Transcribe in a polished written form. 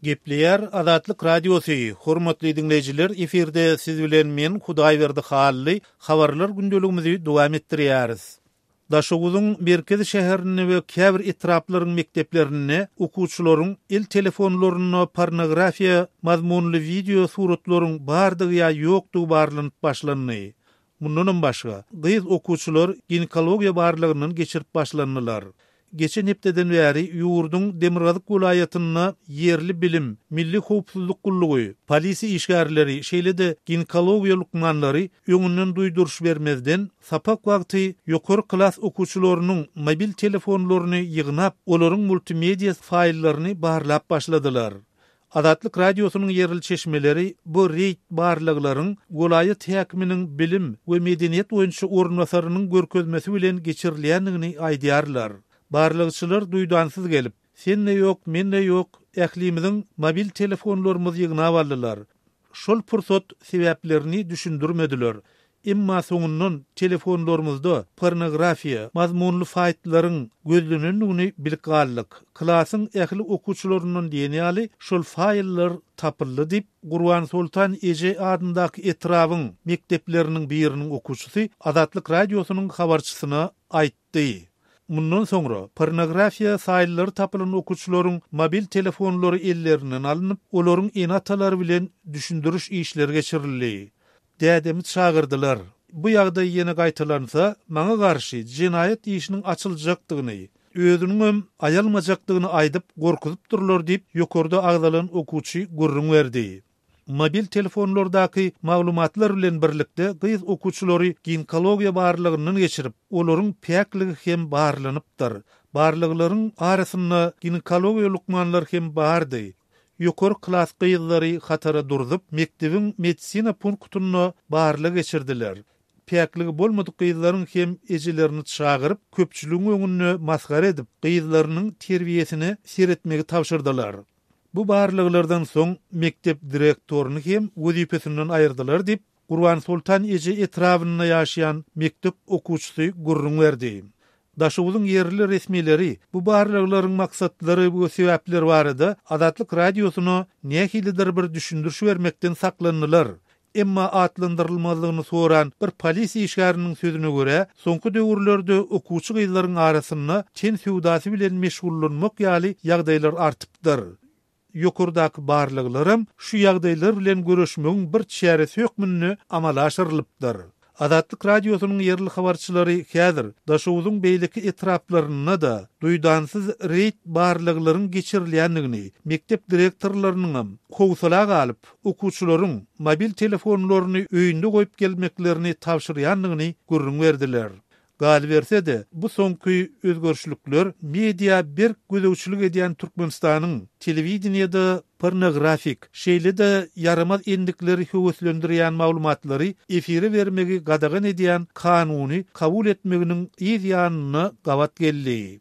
Gepleýär Azatlyk Radiosy, Hormatly diňleýjiler, efirde siz bilen men Hudaýberdi Hally, habarlar gündeligimizi dowam etdirýäris. Daşoguzyň merkezi şäherinde we käbir etraplaryň mekdeplerinde okuwçylaryň el telefonlarynda pornografiýa mazmunly wideo suratlaryň bardygy ýa ýokdugy barlanyp başlandy. Mundanam başga, gyz okuwçylar ginekologiýa barlagyndan geçirip başlandylar. Geçen hepdeden bäri ýurduň demirgazyk welaýatynda ýerli bilim, milli howpsuzlyk gullugy, polisiýa işgärleri, şeýle-de ginekologiýa lukmanlary öňünden duýduryş bermezden, sapak wagty ýokary klas okuwçylarynyň mobil telefonlaryny ýygnap, olaryň multimediýa faýllaryny barlap başladylar. Azatlyk Radiosynyň ýerli çeşmeleri bu reýd barlaglaryň welaýat häkiminiň bilim we medeniýet boýunça orunbasarynyň görkezmesi bilen geçirilýändigini aýdýarlar. Barlagçylar duýdansyz gelip, sen-de ýok, men-de ýok, ählimiziň mobil telefonlarymyzy ýygnap aldylar. Şol pursat sebäplerini düşündirmediler. Emma soňundan telefonlarymyzda pornografiýa mazmunly faýtlaryň gözlenendigini bilip galdyk. Klasyň ähli okuwçylaryndan diýen ýaly şol faýllar tapyldy diýip, Gurbansoltan eje adyndaky etrabyň mekdepleriniň biriniň okuwçysy Azatlyk Radiosynyň habarçysyna aýtdy. Mundan soňra, pornografiýa faýllary tapylan okuwçylaryň mobil telefonlary ellerinden alnyp, olaryň ene-atalary bilen düşündiriş işleri geçirildi. Dädemi çagyrdylar. Bu ýagdaý ýene gaýtalansa, maňa garşy jenaýat işiniň açyljakdygyny, özüniňem aýalmajakdygyny aýdyp gorkuzypdyrlar diýip, ýokarda agzalan okuwçy gürrüň berdi. Mobil telefonlardaky maglumatlar bilen birlikde gyz okuwçylary ginekologiýa barlagyndan geçirip, olaryň päkligi hem barlanypdyr. Barlaglaryň arasynda ginekologiýa lukmanlary hem bardy. Ýokary klas gyzlary hatara durzup, mekdebiň medisina punktynda barlag geçirdiler. Päkligi bolmadyk gyzlaryň hem ejelerini çagyryp, köpçüligiň öňünde masgara edip, gyzlarynyň terbiýesine seretmegi tabşyrdylar. Bu barlaglardan soň mekdep direktoryny hem wezipesinden aýyrdylar diýip, Gurbansoltan eje etrabynda ýaşaýan mekdep okuwçysy gürrüň berdi. Daşoguzyň ýerli resmileri bu barlaglaryň maksatlary we sebäpleri barada Azatlyk Radiosyna nähilidir bir düşündiriş bermekden saklandylar. Emma atlandyrylmazlygyny soran bir polisiýa işgäriniň sözüne görä, soňky döwürlerde okuwçy gyzlaryň arasynda ten söwdasy bilen meşgullanmak ýaly ýagdaýlar artypdyr. Ýokardaky barlaglaram şu ýagdaýlar bilen göreşmegiň bir çäresi hökmünde amala aşyrylypdyr. Azatlyk Radiosynyň ýerli habarçylary häzir Daşoguzyň beýleki etraplarynda-da duýdansyz reýd barlaglaryň geçirilýändigini, mekdep direktorlarynyňam howsala galyp, okuwçylaryň mobil telefonlaryny öýünde goýup gelmeklerini tabşyrýandygyny gürrüň berdiler. Galyberse-de, bu soňky özgerişlikler media berk gözegçilik edýän Türkmenistanyň telewideniýede pornografik, şeýle-de ýaramaz endikleri höweslendirýän maglumatlary efire bermegi gadagan edýän kanuny kabul etmeginiň yz ýanyna gabat geldi.